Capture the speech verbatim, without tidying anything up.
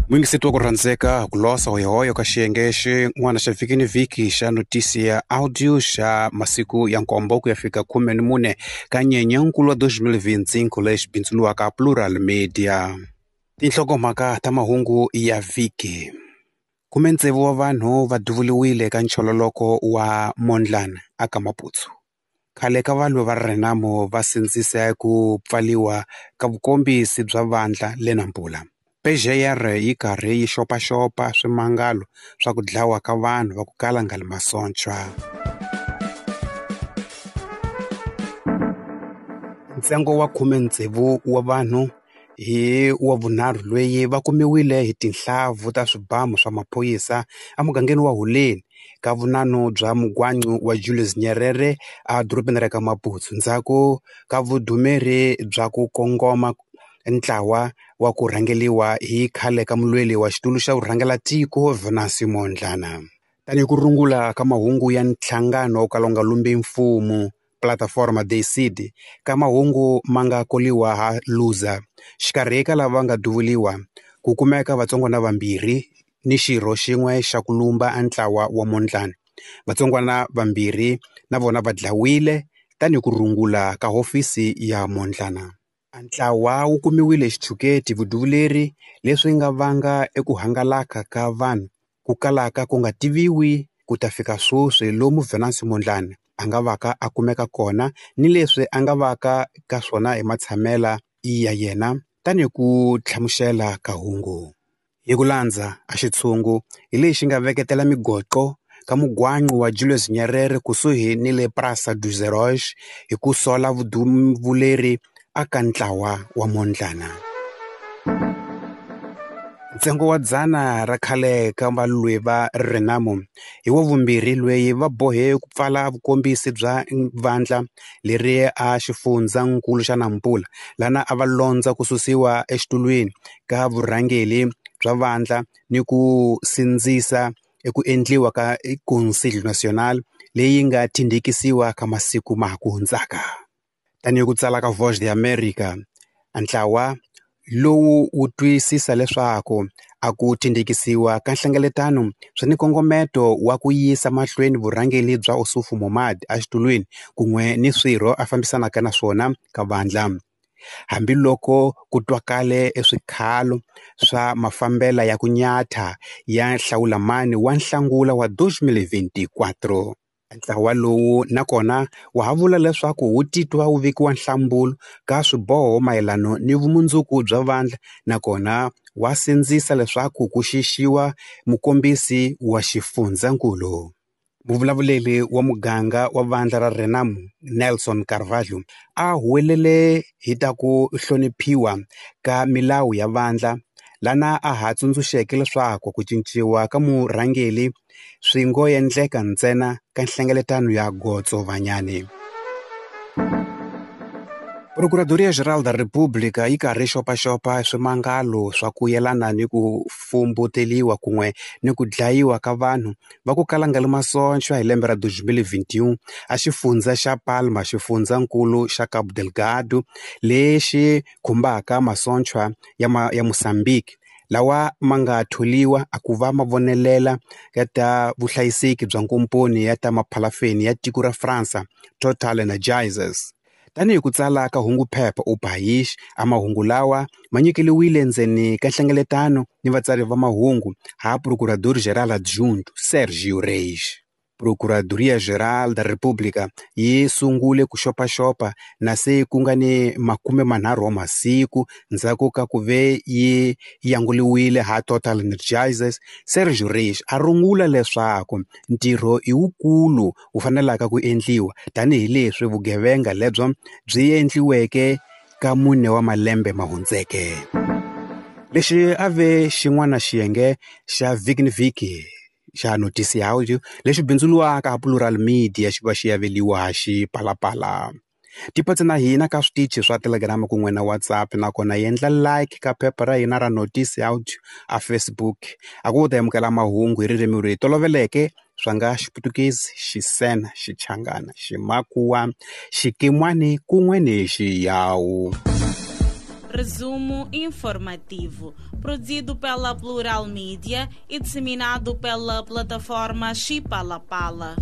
Muyingiseti wa ku rhandzeka ku losa hoyohoyo ka xiyenge xin'wana xa vhiki ni vhiki xa notisi ya audio xa masiku ya nkombo ku ya fika khume ni mune ka Nyenyankulu wa twenty twenty-five lexi bindzuriwaka Plural Media. Tinhlokomhaka ta mahungu ya vhiki. Khume tsevu wa vanhu va duvuriwile ka nchololoko wa Mondlane aka Maputo. Khale ka valwi va Renamo va sindzise ku pfaliwa ka vukombisi bya vandla le Nampula. P G R yi karhi yi xopaxopa swimangalo swa ku dlawa ka vanhu va ku kala nga li masocha. Ntsengo wa khume tsevu wa vanhu hi wa vunharhu loyi va kumiwile hi tinhlavu ta swibamu swa maphorisa emugangeni wa Huleni ka vunano bya mugwancu wa Julius Nyerere edorobeni ra ka Maputo ndzhaku ka vudumeri bya ku kongoma ntlawa wa ku rhangeliwa hi khale ka mulweli wa xitulu xa vurhangela tiko Venancio Mondlane. Tanihi ku rungula ka mahungu ya nhlangano wo kala wu nga lumbi mfumo Plataforma Decide ka mahungu ma nga koliwa ha Luza xikarhi ka lava nga duvuriwa ku kumeka vatsongwana vambirhi ni xirho xin'we xa ku lumba a ntlawa wa Mondlane. Vatsongwana vambirhi na vona va dlawile tanihi ku rungula ka hofisi ya Mondlane. Ntlawa wu kumiwile xitshuketi vuduvuleri leswi nga vanga eku hangalaka ka vanhu ku kalaka ku nga tiviwi ku ta fika sweswi lomu Venancio Mondlane a nga vaka a kumeka kona ni leswi a nga vaka ka swona hi matshamela ya yena tanihi ku hlamusela ka hungu. Hi ku landza a xitshungu hi lexi nga veketela migoqo ka mugwancu wa Julius Nyerere kusuhi ni le Praça dos Heróis hi ku sola vuduvuleri aka ntlawa wa Mondlane. Ntsengo wa dzana ra khale ka valwi va Renamo hi wa vumbirhi loyi va bohe ku pfala vukombisi bya vandla leri a xifundzankulu xa Nampula lana a va londza ku susiwa exitulwini ka vurhangeri bya vandla ni ku sindzisa eku endliwa ka Conselho Nacional leyi nga tindhikisiwa ka masiku ma ha ku hundzaka. Tanihi ku tsala ka Voz de América, ntlawa lowu wu twisisa leswaku a ku tindhikisiwa ka nhlengeletano swi ni nkongometo wa ku yisa mahlweni vurhangeri bya Ossufo Momad exitulwini kun'we ni swirho a fambisanaka na swona ka vandla. Hambiloko ku twakale eswikhalo swa mafambela ya ku nyatha ya nhlawulamani wa Nhlangula wa twenty twenty-four. Ntlawa lowu nakona wa ha vula leswaku wu titwa wu vekiwa nhlambulo ka swiboho mayelana ni vumundzuku bya vandla nakona wa sindzisa leswaku ku xixiwa mukombisi wa xifundzankulu. Muvulavuleri wa muganga wa vandla ra Renamo Nelson Carvalho a huwelele hi ta ku hloniphiwa ka milawu ya vandla lana a ha tsundzuxeke leswaku ku cinciwa ka murhangeri swi ngo endleka ntsena ka nhlengeletano ya Gotsovanyane. Procuradoria Geral da República yi karhi xopaxopa swimangalo swa ku yelana ni ku fumbuteliwa kun'we ni ku dlayiwa ka vanhu va ku kala nga li masocha hi lembe ra twenty twenty-one a xifundza xa Palma xifundzankulu xa Cabo Delgado lexi khumbaka masocha ya ma, ya Mozambique lawa ma nga tholiwa a ku va mavonelela ya ta vuhlayiseki bya nkomponi ya ta maphalafeni ya tiko ra Fransa Total Energies. Tanihi ku tsala ka hungu phepha O País, a mahungu lawa ma nyikeliwile ndzeni ka nhlengeletano ni vatsari va mahungu ha Procurador-Geral Adjunto Sergio Reis. Procuradoria Geral da República yi sungule ku xopaxopa na se ku nga ni makume manharhu wa masiku ndzhaku ka ku ve yi yanguliwile ha Total Energizers. Sergio Reis a rungula leswaku ntirho i wukulu wu fanelaka ku endliwa tanihileswi vugevenga lebyo byi endliweke ka mune wa malembe ma hundzeke. Lexi a ve xin'wana xiyenge xa vhiki ni vhiki xa notisi ya audio lexi bindzuriwaka Plural Media xi va xi aveliwa xipalapala. Tipatse na hina ka switichi swa Telegram kun'we na WhatsApp nakona endla like ka phepha ra hina ra notisi audio a Facebook. A ku ta amukela mahungu hi ririmi leri toloveleke swa nga Xiputukezi, Xisena, Xichangana, Ximakhuwa, Xikimwani kun'we ni Xiyawu. Resumo informativo, produzido pela Plural Mídia e disseminado pela plataforma Chipalapala.